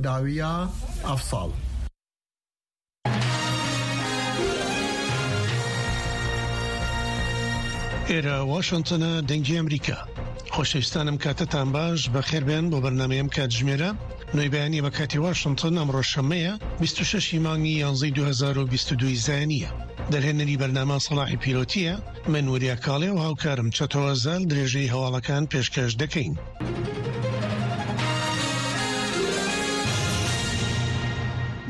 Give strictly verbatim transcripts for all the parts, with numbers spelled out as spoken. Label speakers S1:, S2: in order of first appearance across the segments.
S1: Dawiya ev sal.
S2: ئێرە واشنتنە، دەنگی ئەمریکا. خۆشەویستانم کاتتان باش، بەخێربێن بۆ بەرنامەی ئەم کاتژمێرە نۆی بەیانی بە کاتی واشنتن. ئەمڕۆ شەممەیە بیست و شەش ی مانگی یانزەی دوو هەزار و بیست و دوو ی زایینیە. دەرهێنەری بەرنامە سەڵاحی پیرۆتیە، من وریا کاڵێ و هاوکارم چەتۆ ئەزال درێژەی هەواڵەکان پێشکەش دەکەین.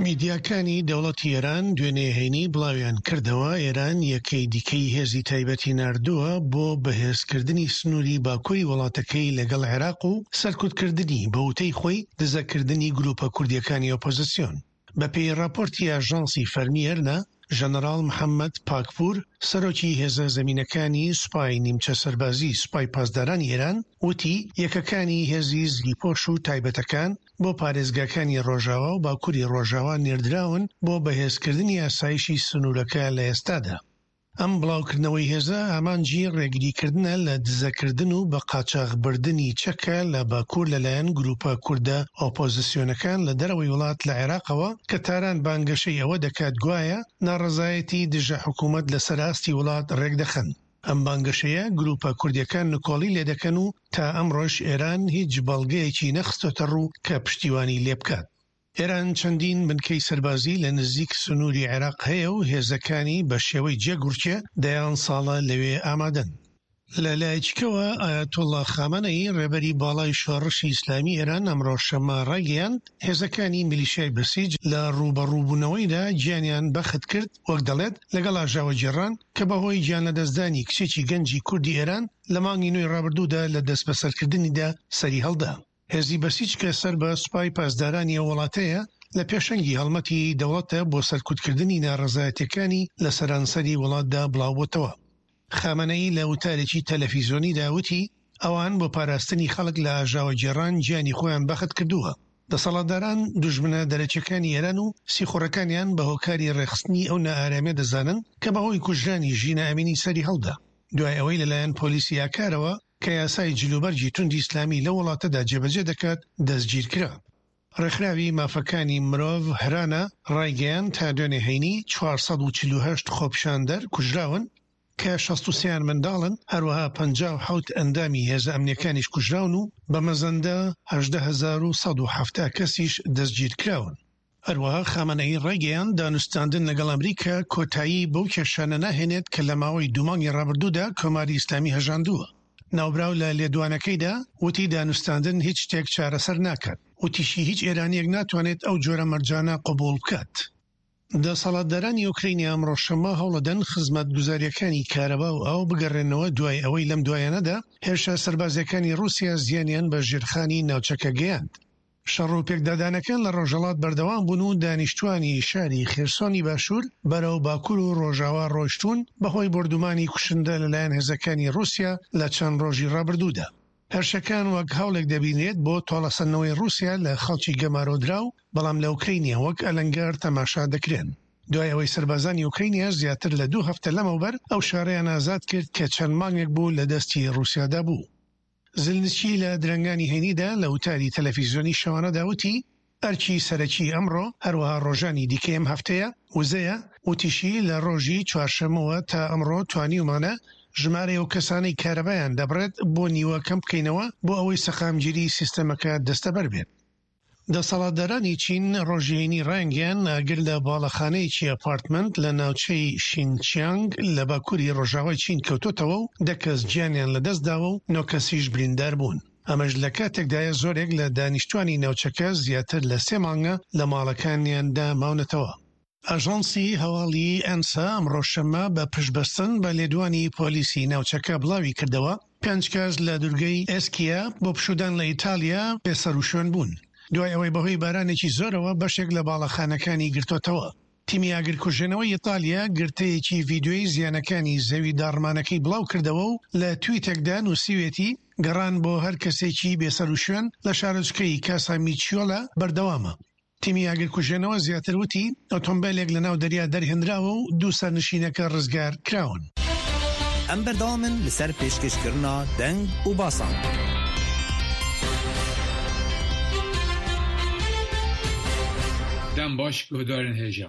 S2: میدیاکانی دەوڵەتی ئێران دوێنێ هەینی بڵاویان کردەوە، ئێران یەکەی دیکەی هێزی تایبەتی ناردووە بۆ بەهێزکردنی سنووری باکووری وڵاتەکەی لەگەڵ عێراق و سەرکوتکردنی بە وتەی خۆی دزەکردنی گروپە کوردیەکانی ئۆپۆزیسیۆن. بەپێی ڕاپۆرتی ئاژانسی فەرمی ئێرنا، ژەنەراڵ محەممەد پاکپوور، سەرۆکی هێزە زەمینەکانی سوپای نیمچە سەربازی سوپای پاسدارانی ئێران وتی، یەکەکانی هێزی زریپۆش و تایبەتەکان بۆ پارێزگاکانی ڕۆژاوا و باکووری ڕۆژاوا نێردراون بۆ بەهێزکردنی ئاسایشی سنوورەکە لە ئێستادا. ئەم بڵاوکردنەوەی هێزە ئامانجی ڕێگریکردنە لە دزەکردن و بە قاچاخبردنی چەکە لە باکوور لەلایەن گروپە کوردە ئۆپۆزیسیۆنەکان لە دەرەوەی وڵات لە عێراقەوە کە تاران بانگەشەی ئەوە دەکات گوایە ناڕەزایەتی دژە حکوومەت لەسەر ئاستی وڵات ڕێکدەخەن. ئەم بانگەشەیە گروپە کوردیەکان نکۆڵی لێدەکەن و تا ئەمڕۆش ئێران هیچ بەڵگەیەکی نەخستۆتە ڕوو کە پشتیوانی لێبکات. ئێران چەندین بنکەی سەربازی لە نزیک سنووری عێراق هەیە و هێزەکانی بە شێوەی جێگوڕکێ دەیان ساڵە لەوێ ئامادەن. لە لایەکیکەوە ئایەتوڵڵا خامەنەیی ڕێبەری باڵای شۆڕشی ئیسلامی ئێران ئەمڕۆ شەممە ڕایگەیاند، هێزەکانی میلیشیای بەسیج لە ڕووبەڕووبوونەوەیدا گیانیان بەخت کرد، وەک دەڵێت لەگەڵ ئاژاوەگێڕان کە بەهۆی گیانلەدەستدانی کچێکی گەنجی کوردی ئێران لە مانگی نۆی ڕابردوودا لە دەستبەسەرکردنیدا سەریهەڵدا. هێزی بەسیج کە سەر بە سوپای پاسدارانی ئەو وڵاتەیە لە پێشەنگی هەڵمەتی دەوڵەتە بۆ سەرکوتکردنی ناڕەزایەتیەکانی لە سەرانسەری وڵاتدا بڵاوبۆتەوە. خامەنەیی لە وتارێکی تەلەفیزیۆنیدا وتی، ئەوان بۆ پاراستنی خەڵک لە ئاژاوەگێڕان گیانی خۆیان بەخت کردووە. دەسەڵاتداران دوژمنە دەرەکیەکانی ئێران و سیخوڕەکانیان بە هۆکاری ڕێکخستنی ئەو نائارامیە دەزانن کە بەهۆی کوژرانی ژینا ئەمینی سەری هەڵدا دوای ئەوەی لەلایەن پۆلیسی ئاکارەوە کە یاسای جلوبەرگی توندی ئیسلامی لەو وڵاتەدا جێبەجێ دەکات دەستگیرکرا. ڕێکخراوی مافەکانی مرۆڤ هرانا ڕایگەیاند تا دوێنێ هەینی چوار سەد و چل و هەشت خۆپیشاندەر کوژراون کە شەست و سێیان منداڵن، هەروەها پەنجا و حەوت ئەندامی هێزە ئەمنیەکانیش کوژراون و بە مەزەندە هەژدە هەزار و سەد و حەفتا کەسیش دەستگیرکراون. هەروەها خامەنەیی ڕایگەیاند دانوستاندن لەگەڵ ئەمریکا کۆتایی بەو کێشانە ناهێنێت کە لە ماوەی دوو مانگی ڕابردوودا کۆماری ئیسلامی هەژاندووە. ناوبراو لە لێدوانەکەیدا وتی دانوستاندن هیچ شتێک چارەسەر ناکات، وتیشی هیچ ئێرانیەک ناتوانێت ئەو جۆرە مەرجانە قبوڵ بکات. دەسەڵاتدارانی ئۆکرەینیا ئەمڕۆ شەممە هەوڵەدەن خزمەتگوزارییەکانی کارەبا و ئاو بگەڕێنەوە دوای ئەوەی لەم دوایانەدا هێرشە سەربازیەکانی ڕووسیا زیانیان بە ژێرخانی ناوچەکە گەیاند. شەڕ و پێکدادانەکان لە ڕۆژهەڵات بەردەوام بوون و دانیشتوانی شاری خێرسۆنی باشوور بەرەو باکوور و ڕۆژاوا ڕۆیشتوون بەهۆی بۆردومانی کوشندە لەلایەن هێزەکانی ڕووسیا لە چەند ڕۆژی ڕابردوودا. هێرشەکان وەک هەوڵێک دەبینرێت بۆ تۆڵەسەندنەوەی ڕووسیا لە خەڵکی گەمارۆدراو، بەڵام لە ئۆکرەینیا وەک ئەلەنگار تەماشا دەکرێن. دوای ئەوەی سەربازانی ئۆکرەینیا زیاتر لە دوو هەفتە لەمەوبەر ئەو شارەیان ئازاد کرد کە چەند مانگێک بوو لە دەستی ڕووسیادا بوو. زلنسکی لە درەنگانی هەینیدا لە وتاری تەلەفیزیۆنی شەوانەدا وتی، ئەرکی سەرەکی ئەمڕۆ، هەروەها ڕۆژانی دیکەی ئەم هەفتەیە، وزەیە، وتیشی لە ڕۆژی چوارشەممەوە تا ئەمڕۆ توانیومانە ژمارەی ئەو کەسانەی کارەبایان دەبڕێت بۆ نیوە کەم بکەینەوە بۆ ئەوەی سەقامگیری سیستەمەکە دەستەبەر بێت. دەسەڵاتدارانی چین ڕۆژی هەینی ڕایانگەیاند ئاگر لە باڵەخانەیەکی ئەپارتمەنت لە ناوچەی شینچیانگ لە باکووری ڕۆژاوای چین کەوتۆتەوە و دە کەس گیانیان لەدەستداوە و نۆ کەسیش بریندار بوون. ئەمەش لە کاتێکدایە زۆرێک لە دانیشتوانی ناوچەکە زیاتر لە سێ مانگە لە ماڵەکانیاندا ماونەتەوە. ئاژانسی هەواڵی ئەنسا ئەمڕۆ شەممە بە پشتبەستن بە لێدوانی پۆلیسی ناوچەکە بڵاویکردەوە، پێنج کەس لە دورگەی ئێسکیا بۆ پشوودان لە ئیتالیا بێسەروشوێن بوون، دوای ئەوەی بەهۆی بارانێکی زۆرەوە بەشێک لە باڵەخانەکانی گرتۆتەوە. تیمی ئاگرکوژێنەوەی ئیتالیا گرتەیەکی ڤیدیۆی زیانەکانی زەوی داڕمانەکەی بڵاوکردەوە و لە تویتێکدا نووسیوێتی، گەڕان بۆ هەر کەسێکی بێسەروشوێن لە شارۆچکەی کاسامیچیۆلا بەردەوامە. تیمی ئاگرکوژێنەوە زیاتر وتی، ئۆتۆمبێلێک لەناو دەریا دەرهێنراوە و دوو سەرنشینەکە ڕزگار کراون.
S3: ئەم بەردەوامن لەسەر پێشکەشکردنا دەنگ و باسان.
S4: Dem baş guhdarên hêja.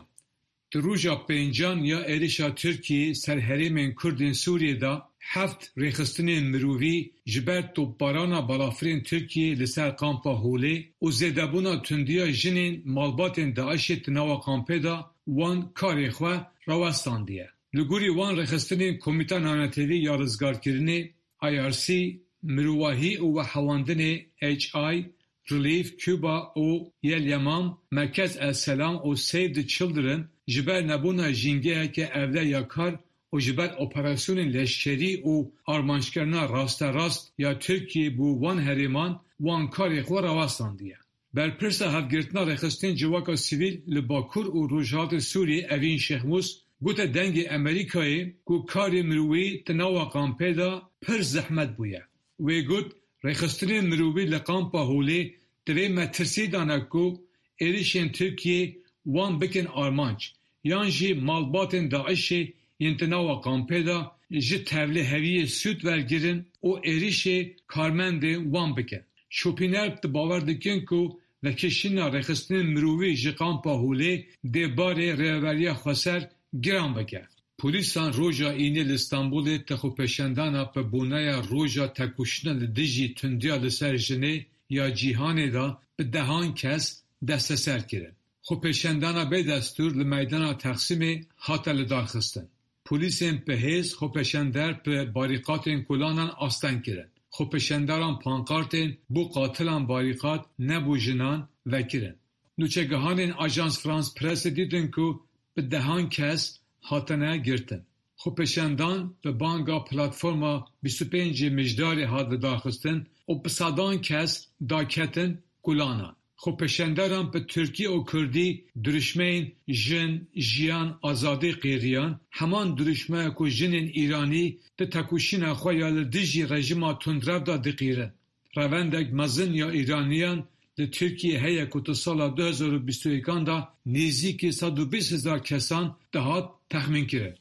S4: Di roja pêncan ya êrişa Tirkiyê ser herêmên Kurdên Sûriyê de heft rêxistinên mirovî ji ber topbarana balafirên Tirkiyê li ser kampa Holê û zêdebûna tundiya jinên malbatên DAIŞê di nava kampê de wan karê xwe rawestandiye. Li gorî wan rêxistinên Komîta Navnetewî ya Rizgarkirinê I R C, Mirovahî û Vehewandinê H I, Relief Cuba û Yel Yemam, Merkez El Selam û Save the Children ji ber nebûna jîngeheke ewle ya kar û ji ber operasyonên leşkerî û armanckirina rasterast ya Tirkiyê bû wan herêman wan karê xwe rawestandiye. Berpirsa hevgirtina rêxistinên civaka sivîl li Bakur û Rojhilatê Sûriyê Evîn Şêxmûs gote dengê Amerîkayê ku karê mirovî di nava kampê de pir zehmet bûye. Wê got rêxistinên mirovî li kampa Holê divê metirsî dane ku êrişên Tirkiyê wan bikin armanc yan jî malbatên DAIŞê yên di nava kampê de ji tevliheviyê sûd wergirin û êrişê karmendên wan bikin. Şopîner di bawer dikin ku vekişîna rêxistinên mirovî ji kampa Holê dê barê rêveberiya xweser giran bike. Polîsan roja înê li Stenbolê tixûpêşandana bi boneya roja tekoşîna li dijî tundiya li ser jinê ya cîhanê de bi dehan kes desteser kirin. Xwepêşandana bêdestûr li meydana Taksimê hate lidarxistin. Polîsên bi hêz xwepêşander bi barîkatên kolanan asteng kirin. Xwepêşanderan pankartên bo qatilan barîkat nebû jinan vekirin. Nûçegihanên Ajans France Pressê dîtin ku bi dehan kes hatine girtin. Xwepêşandan bi banga platforma bîst û pêncê Mijdarê hat lidarxistin û bi sedan kes daketin kolanan. Xwepêşanderan bi Tirkî û Kurdî dirûşmeyên Jin, Jiyan, Azadî qêriyan, heman dirûşmeya ku jinên Îranî di tekoşîna xwe ya li dijî rejîma tundrev de diqîrin. Revendek mezin ya Îraniyan li Tirkiyê heye ku di sala du hezar û bîst û yekan de nêzîkî sed û bîst hezar kesan dihat texmînkirin.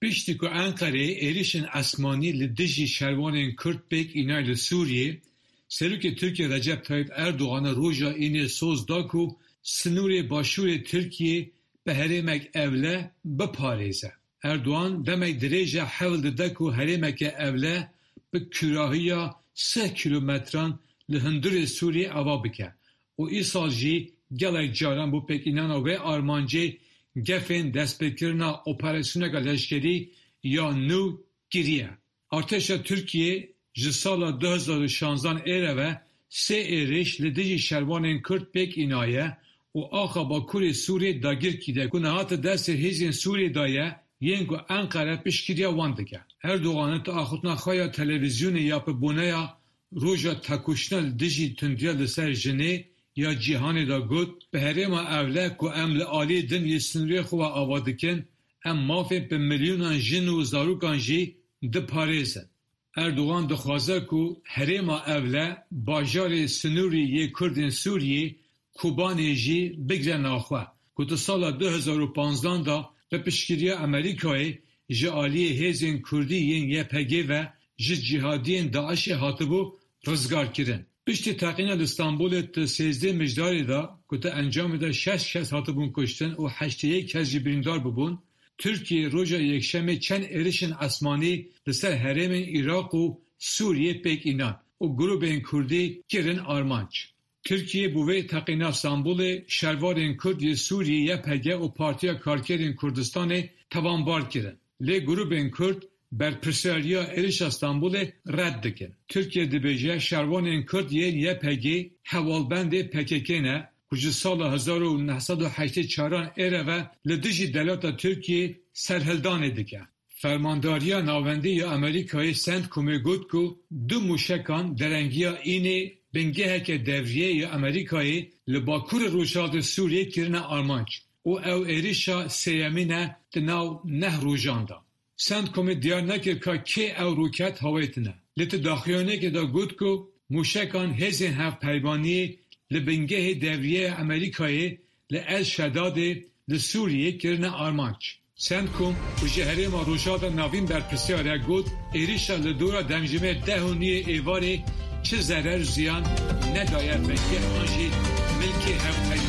S4: Piştî ku Enqereyê êrişên esmanî li dijî şervanên Kurd pêk îna li Sûriyê, Serokê Tirkiyê Recep Tayyip Erdogan roja înê soz da ku sînorê başûrê Tirkiyê bi herêmek ewle biparêze. Erdogan demek dirêj e hewl dide ku herêmeke ewle bi kûrahiya sê kîlometran li hundirê Sûriyê ava bike û îsal jî gelek caran bo pêkînana wê armancê gefên destpêkirina operasyoneke leşkerî ya nû kiriye. Artêşa Tirkiyê ji sala du hezar û şanzdan êre ve sê êriş li dijî şervanên Kurd pêk înaye û axa Bakurê Sûriyê dagir kiriye ku niha di destê hêzên Sûriyê de ye yên ku Enqere piştgiriya wan dike. Erdogan di axivtina xwe ya televîzyonê ya bi boneya roja tekoşîna li dijî tundiya li ser jinê ya cîhanê de got bi herêma ewle ku em li aliyê din yê sînorê xwe ava dikin, em mafên bi milyonan jin û zarokan jî diparêzin. Erdogan dixwaze ku herêma ewle bajarê sînorî yê Kurdên Sûriyê Kobanê jî bigire naxwe ku di sala du hezar û panzdan de bi piştgiriya Amerîkayê ji aliyê hêzên Kurdî yên Y P G ve ji cîhadiyên DAIŞê hatibû rizgarkirin. Piştî teqîna li Stenbolê di sêzdeh Mijdarê de ku di encamê de şeş kes hatibûn kuştin û heştê yek kes jî birîndar bûbûn, Tirkiye roja yekşemê çend êrişên esmanî li ser herêmên Iraq û Sûriyê pêk înan û grûpên Kurdî kirin armanc. Tirkiye bû vê teqîna Stenbolê şervanên Kurd yê Sûriyê Y P G û Partiya Karkerên Kurdistanê tawanbar kirin. Lê grûpên Kurd berpirsiyariya êrişa Stenbolê red dikin. Tirkiye dibêje şervanên Kurd yên Y P G hevalbendê P K K ne ku ji sala hezar û neh sed û heştê çaran êre ve li dijî dewleta Tirkiyê serhildanê dike. Fermandariya Navendî ya Amerîkayê CENTCOMê got ku du mûşekan derengiya înê bingeheke devriyê ya Amerîkayê li Bakurê Rojhilatê Sûriyê kirine armanc û ew êrişa sêyemîn e di nav neh rojan de. CENTCOMê diyar nekir ka kê ew roket hawêtine. Lê di daxuyaniyekê de got ku mûşekan hêzên hevpeymaniyê li bingehê devriyeya Amerîkayê li El Şedadê li Sûriyê kirine armanc. CENTCOM ku ji herêma Rojhilata Navîn berpirsiyar e got êrişa li dora demjimêr deh û nîvê êvarê çi zerer ziyan nedaye bingeh an jî milkê hevpeymaniyê.